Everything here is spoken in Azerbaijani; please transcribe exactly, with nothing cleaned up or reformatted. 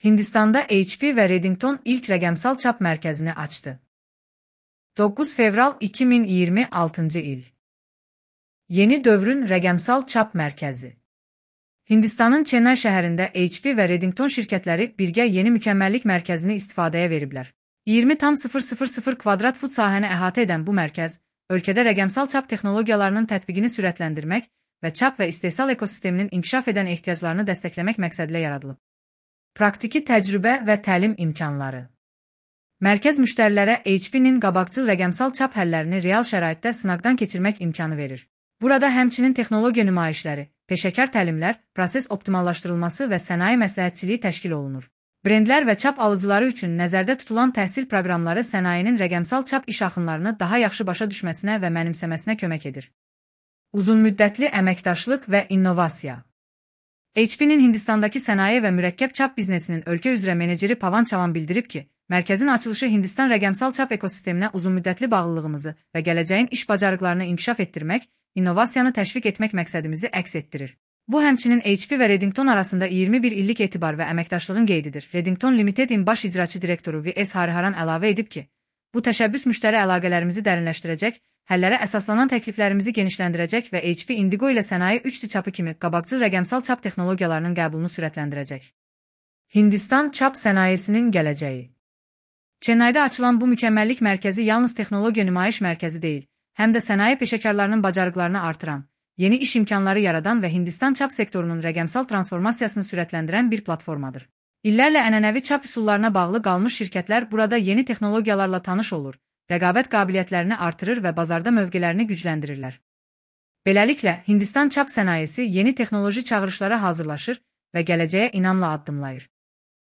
Hindistanda H P və Redington ilk rəqəmsal çap mərkəzini açdı. doqquz fevral iki min iyirmi altıncı il. Yeni dövrün rəqəmsal çap mərkəzi. Hindistanın Chennai şəhərində H P və Redington şirkətləri birgə yeni mükəmməllik mərkəzini istifadəyə veriblər. iyirmi tam sıfır sıfır sıfır kvadrat fut sahəni əhatə edən bu mərkəz, ölkədə rəqəmsal çap texnologiyalarının tətbiqini sürətləndirmək və çap və istehsal ekosisteminin inkişaf edən ehtiyaclarını dəstəkləmək məqsədilə yaradılıb. Praktiki təcrübə və təlim imkanları. Mərkəz müştərilərə H P-nin qabaqcıl rəqəmsal çap həllərini real şəraitdə sınaqdan keçirmək imkanı verir. Burada həmçinin texnologiya nümayişləri, peşəkar təlimlər, proses optimallaşdırılması və sənaye məsləhətçiliyi təşkil olunur. Brendlər və çap alıcıları üçün nəzərdə tutulan təhsil proqramları sənayenin rəqəmsal çap iş axınlarını daha yaxşı başa düşməsinə və mənimsəməsinə kömək edir. Uzunmüddətli əməkdaşlıq və innovasiya. H P-nin Hindistandakı sənaye və mürəkkəb çap biznesinin ölkə üzrə meneceri Pavan Chavan bildirib ki, mərkəzin açılışı Hindistan rəqəmsal çap ekosisteminə uzunmüddətli bağlılığımızı və gələcəyin iş bacarıqlarını inkişaf etdirmək, innovasiyanı təşviq etmək məqsədimizi əks etdirir. Bu həmçinin H P və Redington arasında iyirmi bir illik etibar və əməkdaşlığın qeydidir. Redington Limited-in baş icraçı direktoru V S Hariharan əlavə edib ki, bu təşəbbüs müştəri əlaqələrimizi dərinləşdirəcək, həllərə əsaslanan təkliflərimizi genişləndirəcək və H P Indigo ilə sənaye üç D çapı kimi qabaqcıl rəqəmsal çap texnologiyalarının qəbulunu sürətləndirəcək. Hindistan çap sənayesinin gələcəyi. Chennaidə açılan bu mükəmməllik mərkəzi yalnız texnologiya nümayiş mərkəzi deyil, həm də sənaye peşəkarlarının bacarıqlarını artıran, yeni iş imkanları yaradan və Hindistan çap sektorunun rəqəmsal transformasiyasını sürətləndirən bir platformadır. İllərlə ənənəvi çap üsullarına bağlı qalmış şirkətlər burada yeni texnologiyalarla tanış olur, rəqabət qabiliyyətlərini artırır və bazarda mövqelərini gücləndirirlər. Beləliklə, Hindistan çap sənayesi yeni texnoloji çağırışlara hazırlaşır və gələcəyə inamla addımlayır.